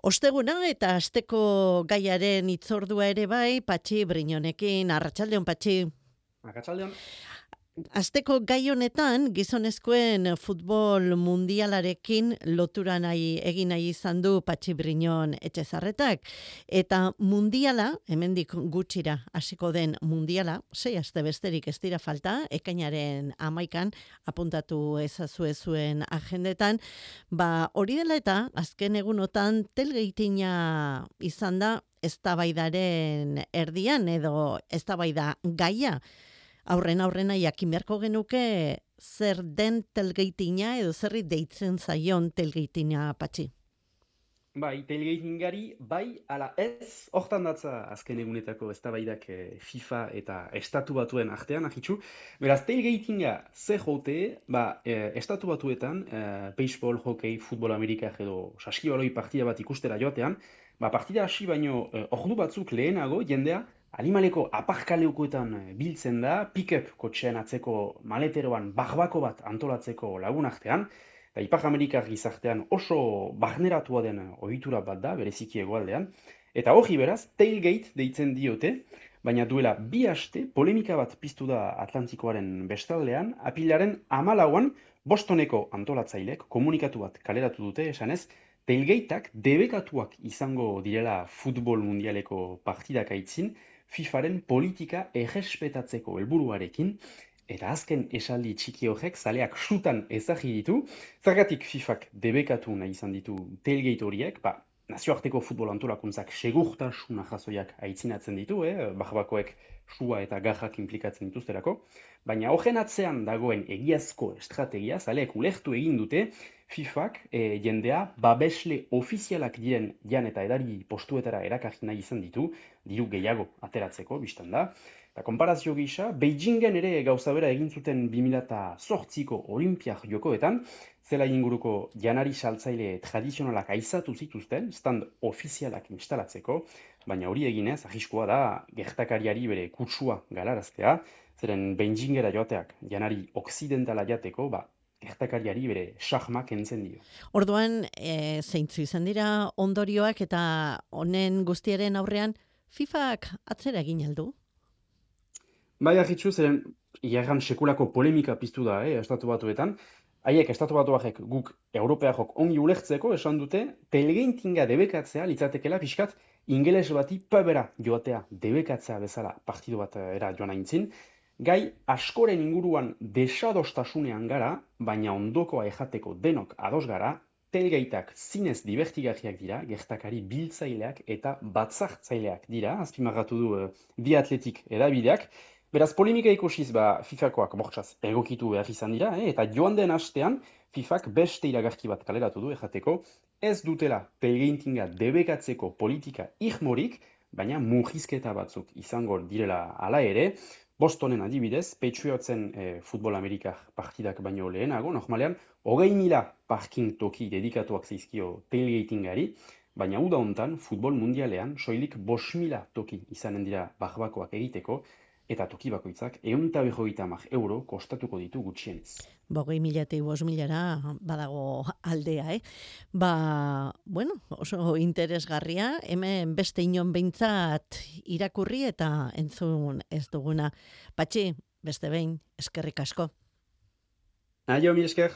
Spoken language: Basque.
Osteguna eta asteko gaiaren itzordua ere bai, Patxi Briñonekin, arratsaldeon Patxi. Arratsaldeon. Asteko gai honetan, gizonezkoen futbol mundialarekin lotura egin nahi izan du Patxi Briñon Etxezarretak. Eta mundiala, hemendik gutxira hasiko den mundiala, 6 aste besterik ez dira falta, ekainaren 11 apuntatu ezazue zuen agendetan, hori dela eta azken egunotan telgeitina izan da eztabaidaren erdian edo eztabaida gaia. Aurrena jakin beharko genuke zer den telgeitina edo zerri deitzen zaion telgeitina, Patxi. Bai, tailgatingari bai ala ez, hortan datza azken egunetako eztabaidak FIFA eta Estatu Batuen artean, ahitxu. Beraz, tailgatinga zer jote, Estatu Batuetan, baseball, hockey, futbol amerikar edo saskibaloi partida bat ikustera joatean, partida hasi baino ordu batzuk lehenago jendea animaleko aparkaleukoetan biltzen da, pick-up kotxean atzeko maleteroan barbako bat antolatzeko lagun artean, eta Ipar Amerikar gizartean oso barneratua den ohitura bat da, bereziki hegoaldean, eta hori beraz, tailgate deitzen diote, baina duela 2 aste polemika bat piztu da Atlantikoaren bestaldean, apilaren 14an Bostoneko antolatzailek komunikatu bat kaleratu dute, esanez, tailgateak debekatuak izango direla futbol mundialeko partidak aitzin, FIFaren politika errespetatzeko helburuarekin, eta azken esaldi txiki horrek zaleak sutan ezagri ditu, zergatik FIFak debekatu nahi izan ditu tailgate horiek, nazioarteko futbol antolakuntzak segurtasuna jasoiak aitzinatzen ditu, barbakoek sua eta garrak implikatzen dituzterako, baina horren atzean dagoen egiazko estrategia, zaleek ulertu egin dute, FIFak jendea babesle ofizialak diren jan eta edari postuetara erakarri nahi izan ditu, diru gehiago ateratzeko, biztan da. Eta konparazio gisa, Beijingen ere gauza bera egin zuten 2008ko Olimpiak jokoetan, zela inguruko janari saltzaile tradizionalak aizatu zituzten, stand ofizialak instalatzeko, baina hori eginez, arriskoa da, gertakariari bere kutsua galaraztea, zeren Beijingera joateak janari okzidentala jateko, gertakariari bere sahmak kentzen dio. Orduan, zeintzu izan dira ondorioak eta honen guztiaren aurrean, FIFak atzera egin aldu? Bai, ahitsu, zeren iagan sekulako polemika piztu da, Estatu Batuetan. Haiek, Estatu Batuak guk Europeakok ongi ulertzeko esan dute, telgeintinga debekatzea litzatekela pixkat ingeles bati pabera joatea debekatzea bezala partidu bat era joan aintzin. Gai askoren inguruan desadostasunean gara, baina ondokoa ejateko denok ados gara, telgeitak zinez divertigarriak dira, gertakari biltzaileak eta batzartzaileak dira, azpimarratu du bi atletik edabideak. Beraz, polemika ikusiz FIFakoak bortxaz egokitu behar izan dira, eta joan den astean FIFak beste iragarki bat kaleratu du ejateko, ez dutela telgeintinga debekatzeko politika irmorik, baina murrizketa batzuk izango direla hala ere, Bostonen adibidez, Patriotsen futbol amerikar partidak baino lehenago, normalean, 20.000 parking toki dedikatuak zaizkio tailgatingari, baina uda hontan, futbol mundialean, soilik 5.000 toki izanen dira barbakoak egiteko, eta toki bakoitzak €150 kostatuko ditu gutxienez. 20.000 5.000 badago aldea, oso interesgarria, hemen beste inon behintzat irakurri eta entzun ez duguna. Patxi, beste behin, eskerrik asko. Aio, mi esker.